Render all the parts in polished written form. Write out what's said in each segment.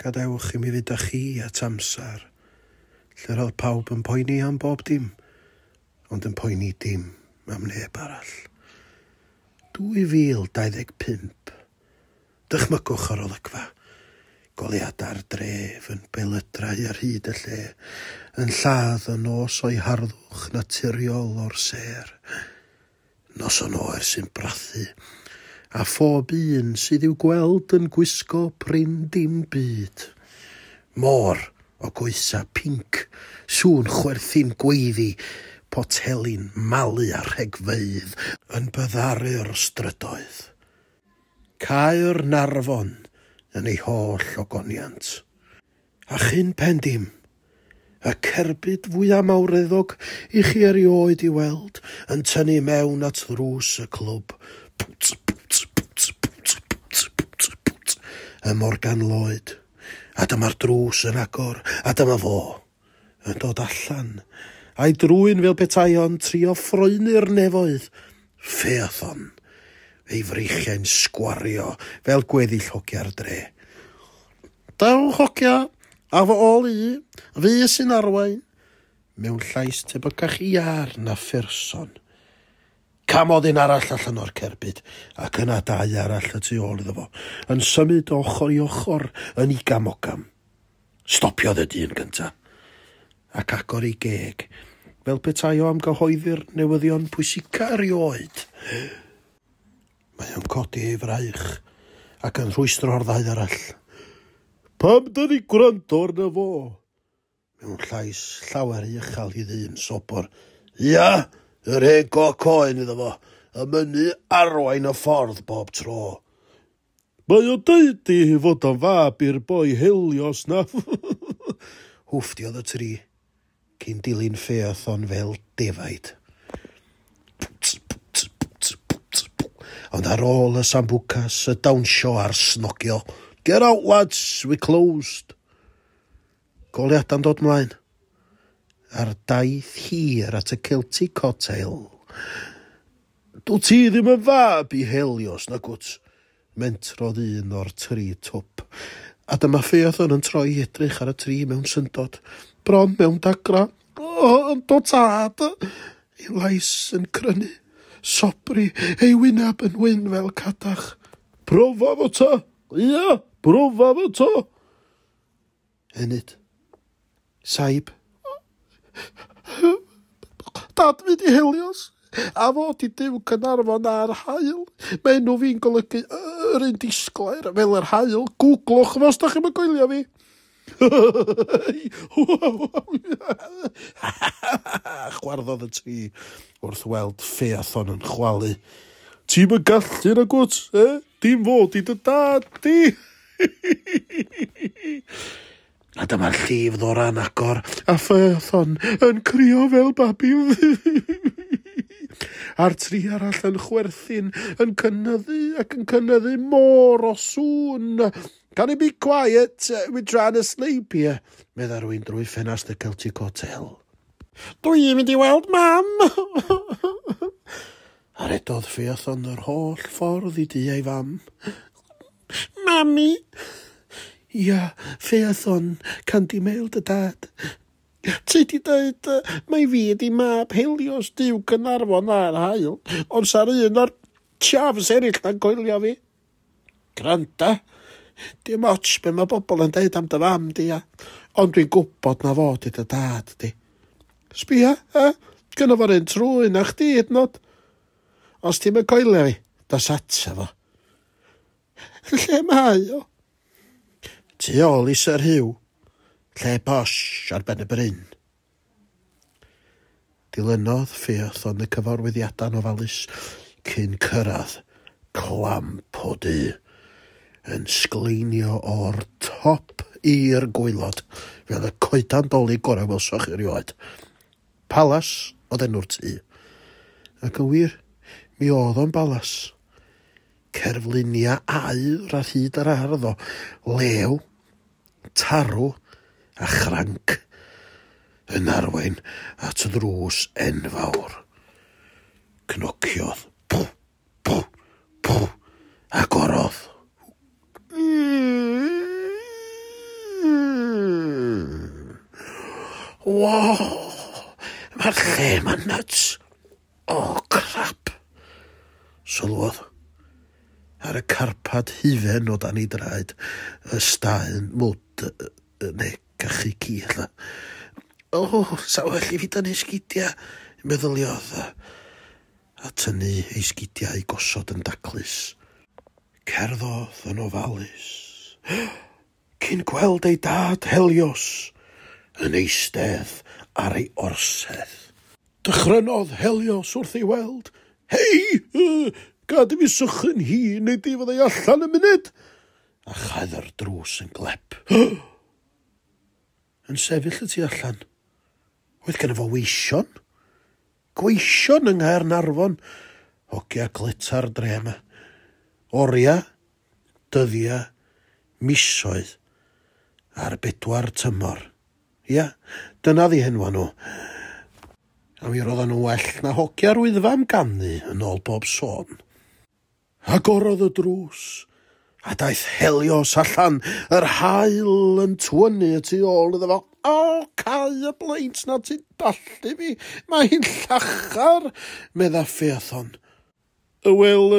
Gadewch i mi fynd â chi at amser, lle roedd pawb yn poeni am bob dim, ond yn poeni dim am neb arall. 2025. Dychmygwch yr olygfa. Goleuadau'r dref yn belydrau ar hyd y lle, yn lladd y nos o'i harddwch naturiol o'r sêr. Noson oer sy'n brathu, a phob un sydd i'w gweld yn gwisgo prin dim byd. Môr o goesa pinc, sŵn chwerthin gweiddi, poteli'n malu a rhegfeydd yn byddaru'r strydoedd. Caernarfon yn ei holl ogoniant. A chyn pen dim, y cerbyd fwyaf mawreddog i chi erioed i weld yn tynnu mewn at ddrws y clwb. Pwt, pwt, pwt, pwt, pwt, pwt, pwt, y Morgan Lloyd. A dyma'r drws yn agor, a dyma fo yn dod allan, a'i drwyn fel petai o'n trio ffroenu'r nefoedd. Phaethon, ei freichiau'n sgwario fel gweddill hogia'r dre. Dewch hogia, a fy ôl i, fi sy'n arwain, mewn llais tebycach iâr na pherson. Camodd un arall allan o'r cerbyd, ac yna dau arall y tu ôl iddo fo, yn symud o ochr i ochr yn igam-ogam. Stopiodd y dyn gynta, ac agor ei geg, fel petai o am gyhoeddi'r newyddion pwysica erioed. Mae o'n codi ei fraich ac yn rhwystro'r ddau arall. Pam dyn ni gwrando arno fo? Mewn llais llawer uchel i ddyn sobor. Ia, yr hen goc oen iddo fo, y mynnu arwain y ffordd bob tro. Mae o'n deud i fod o'n fab i'r boi Helios na. Hwfftiodd y tri, cyn dilyn Phaethon fel defaid. Ond ar ôl y sambucas, y dawnsio a'r snogio, get out lads, we closed. Goleuadau'n dod mlaen. Ar daith hir at y Celtic Hotel. Dwyt ti ddim yn fab i Helios, nagwt? Mentrodd un o'r tri twp. A dyma Phaethon yn troi i edrych ar y tri mewn syndod. Bron mewn dagra. O, yndw tad! Ei lais yn crynu. Sobri, ei wyneb yn wyn fel cadach. Profa fo ta! Ia, profa fo ta! Enid. Saib. Dad fi di Helios, a fo di Duw Caernarfon a'r haul. Mae enw fi'n golygu yr un disglair fel yr haul. Googlwch fo os da chi'm yn coelio fi. Chwarddodd y tri wrth weld Phaethon yn chwalu. Ti'm yn gallu nagwt, eh? Dim fod i dy dad di. A dyma'r llif ddora'n agor, a Phaethon yn crio fel babi. A'r tri arall yn chwerthin, yn cynyddu ac yn cynyddu môr o sŵn. Can you be quiet? We're trying to sleep here. Medda rhywun drwy ffenast y Celtic Hotel. Dwi'n mynd i weld mam! A redodd Phaethon yr holl ffordd i dŷ ei fam. Mami! Ia, Phaethon, Candy Mail dy dad. Ti di dweud mai fi ydi mab Helios Duw Caernarfon a'r haul, ond sa'r un o'r chavs eraill na'n coelio fi. Granda, dim ots be mae bobl yn deud am dy fam di, ia. Ond dwi'n gwybod na fo di dy dad di. Sbia, e? Gynno fo'r un trwyn a chdi hyd yn oed. Os ti'm yn coelio fi, dos ata fo. Lle mae o? Tu ôl i Sir Hugh, lle posh ar ben y bryn. Dilynodd Phaethon y cyfarwyddiadau'n ofalus cyn cyrraedd clamp o dŷ yn sgleinio o'r top i'r gwaelod fel y coedan 'Dolig gorau welsoch chi erioed. Palas oedd enw'r tŷ. Ac yn wir, mi oedd o'n balas. Cerfluniau aur ar hyd yr ardd o lew, tarw a chranc yn arwain at ddrws enfawr. Cnociodd. Pw, pw, pw, agorodd. Wow, mae'r lle ma'n nuts. O, crap. Sylwodd ar y carpad hufen o dan ei draed, y staen mwd neu cachu ci ella. O, sa well i fi dynnu sgidia, meddyliodd, a tynnu ei sgidiau i gosod yn daclus. Cerddodd yn ofalus, cyn gweld ei dad Helios yn eistedd ar ei orsedd. Dychrynodd Helios wrth ei weld. Hei, gad i fi sychu'n hun neu di fyddai allan y munud. A chaedd yr drws yn glep. Yn sefyll y tu allan. Oedd gen fo weision. Gweision yng Nghaernarfon. Hogia gleta'r dre yma. Oria, dyddia, misoedd, a'r bedwar tymor. Ia, dyna ddi henwa nhw. A mi roedden nhw well na hogia'r Wyddfa am ganu yn ôl bob sôn. Agorodd y drws, a daeth Helios allan, yr haul yn twynnu y tu ôl iddo fo. O, cau y bleint na ti'n dallu fi, mae hi'n llachar, medda Phaethon. Wel,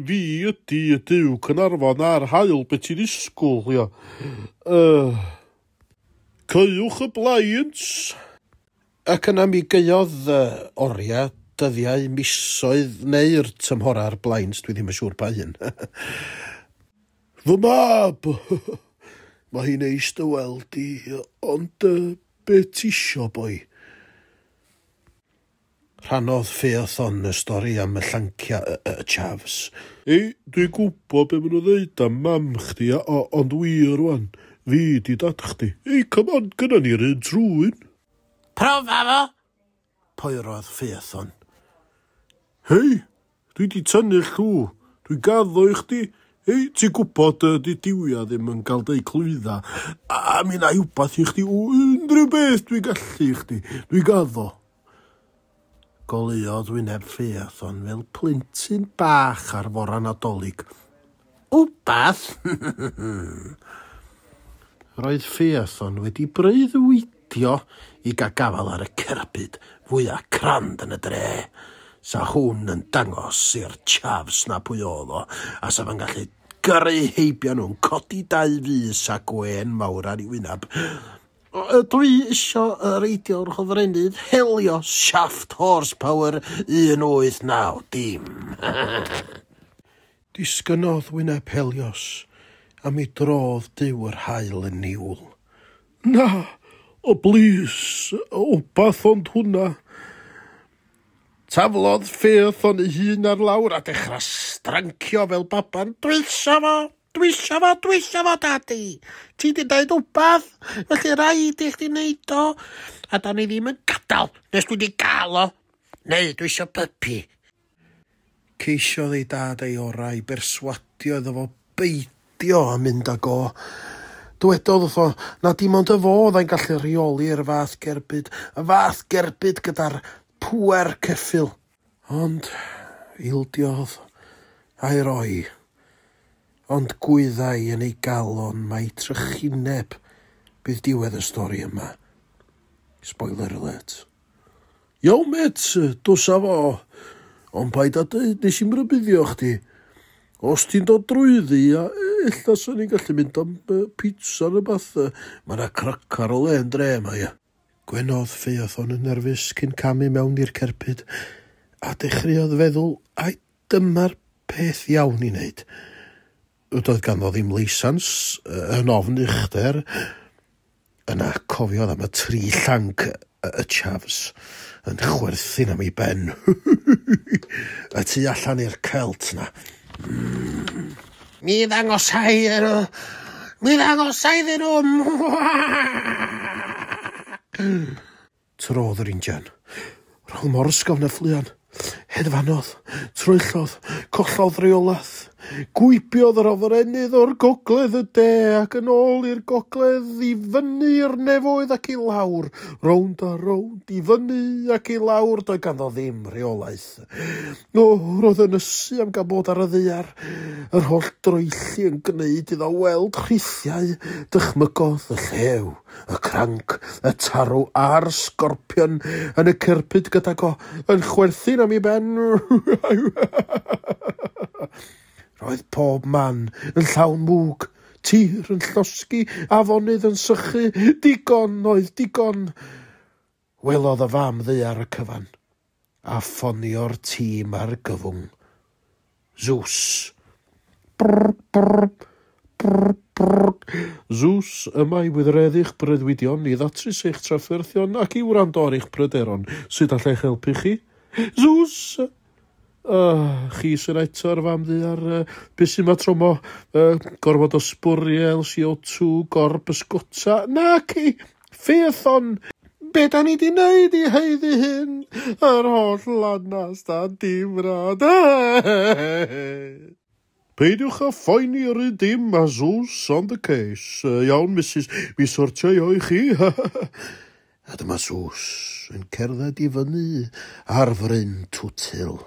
fi ydy y Duw Caernarfon a'r haul, be ti'n ddisgwyl, ia. Caewch y blinds. Ac yna mi gaeodd oriau, dyddiau, misoedd neu'r tymhora'r blinds, dwi ddim yn siŵr pa un. Fy mab, mae hi'n neis dy weld di, ond be ti isio, boi? Rhannodd Phaethon y stori am y llancia y chavs. Ei, dwi'n gwybod be maen nhw'n dweud am mam chdi, ond wir rwan, fi di dad chdi. Ei, come on, gynna ni'r un trwyn. Profa fo! Poerodd Phaethon. Hei, dwi di tynnu llw, dwi'n gaddo i chdi. Hei, ti'n gwybod di diwia ddim yn cael deud clwydda, a mi na i wbath i chdi, unrhyw beth dwi'n gallu i chdi, dwi'n gaddo. Goleuodd wyneb Phaethon fel plentyn bach ar fora Nadolig. Wbath? Roedd Phaethon wedi breuddwydio i gael gafael ar y cerbyd fwyaf crand yn y dre. Sa hwn yn dangos i'r chavs na pwy oedd o, a sa fo'n gallu gyrru heibio nhw'n codi dau fys a gwên mawr ar ei wyneb. Dwi isio reidio'r hofrennydd Helios Shaft Horsepower 1890. Disgynnodd wyneb Helios, a mi drodd Duw yr haul yn niwl. Na, o blis, wbath ond hwnna. Taflodd Phaethon ei hun ar lawr a dechrau strancio fel baban. Dwi isio fo, dwi isio fo, dwi isio fo, dadi. Ti di deud wbath, felly rhaid i chdi wneud o. A da ni ddim yn gadael nes dwi di gael o. Neu dwi isio puppy. Ceisiodd ei dad ei orau i berswadio iddo fo beidio a mynd ag o. Dywedodd wrtho na dim ond y fo oedd gallu rheoli'r fath gerbyd, y fath gerbyd gyda'r pŵer ceffyl. Ond ildiodd a'i roi. Ond gwyddai yn ei galon mai trychineb bydd diwedd y stori yma. Spoiler alert. Iawn, met, dos â fo. Ond paid â dweud nes i'm rybuddio chdi. Os ti'n dod drwyddi, a ella swn i'n gallu mynd am pizza neu beth. Mae yna cracar o le yn dre yma, ia. Gwenodd Phaethon yn nerfus cyn camu mewn i'r cerbyd, a dechreuodd feddwl, ai dyma'r peth iawn i wneud. Doedd ganddo ddim leisans, yn ofn uchder. Yna cofiodd am y tri llanc y chavs yn chwerthin am ei ben. Y tu allan i'r celt na. Mi ddangosai iddyn nhw. Mi ddangosai iddyn nhw. Trodd yr injan. Roedd mor ysgafn a ffluan. Hedfanodd, troellodd, collodd reolaeth. Gwibiodd yr hofrennydd o'r gogledd y de ac yn ôl i'r gogledd, i fyny i'r nefoedd ac i lawr, rownd a rownd, i fyny ac i lawr, doedd ganddo ddim rheolaeth. O, roedd yn ysu am gael bod ar y ddaear, yr holl droelli yn gwneud iddo weld rhithiau, dychmygodd y llew, y cranc, y tarw a'r sgorpion yn y cerbyd gydag o, yn chwerthin am ei ben. Roedd pob man yn llawn mwg, tir yn llosgi, afonydd yn sychu, digon oedd digon. Welodd y fam ddaear y cyfan, a ffonio'r tîm argyfwng. Zeus. Brr, brr, brr, brr. Zeus, yma i wireddu'ch breuddwydion, i ddatrys eich trafferthion ac i wrando ar eich pryderon. Sut alla i'ch helpu chi? Zeus! Chi sy'n eto ar fam ddaear, be sy'n ma tro 'ma? Gormod o sbwriel, CO2, gorbysgota? Naci! Phaethon! Be da ni di wneud i haeddu hyn? Yr holl lanast a difrod. Peidiwch â phoeni yr un dim, mae Zeus on the case. Iawn, Mrs, mi sortio i o i chi. A dyma Zeus yn cerdded i fyny ar fryn Twtil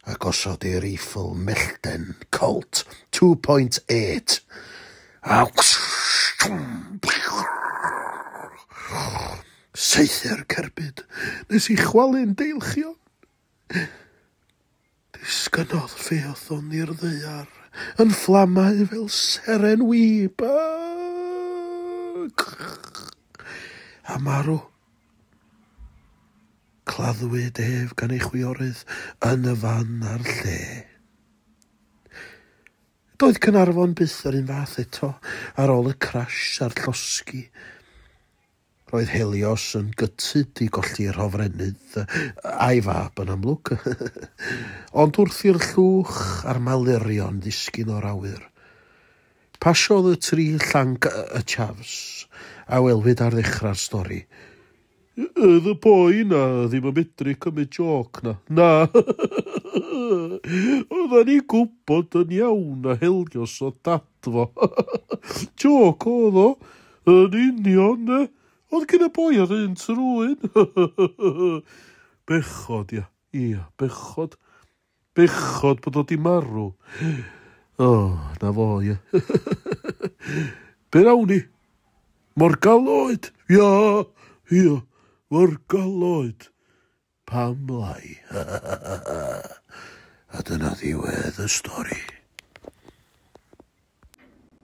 a gosod ei reiffl mellten Colt 2.8. A saethu'r cerbyd nes i chwalu'n deilchion. Disgynnodd Phaethon i'r ddaear yn fflamau fel seren wib. A marw. Claddwyd ef gan ei chwiorydd yn y fan a'r lle. Doedd Caernarfon byth yr un fath eto ar ôl y crash a'r llosgi. Roedd Helios yn gytud i golli'r hofrennydd a'i fab yn amlwg. Ond wrth i'r llwch a'r malurion ddisgyn o'r awyr, pasiodd y tri llanc y chavs a welwyd ar ddechrau'r stori. Oedd y boi na ddim yn medru cymryd jôc na. Na. Oedden ni'n gwybod yn iawn na Helios o dad fo. Jôc oedd o. Yn union, ne. Oedd gen y boi ar un trwyn. Bechod, ia. Ia, bechod. Bechod bod o di marw. O, na fo, ia. Be nawn ni? Morgaloed? Ia, ia, morgaloed. Pam lai? A dyna ddiwedd y stori.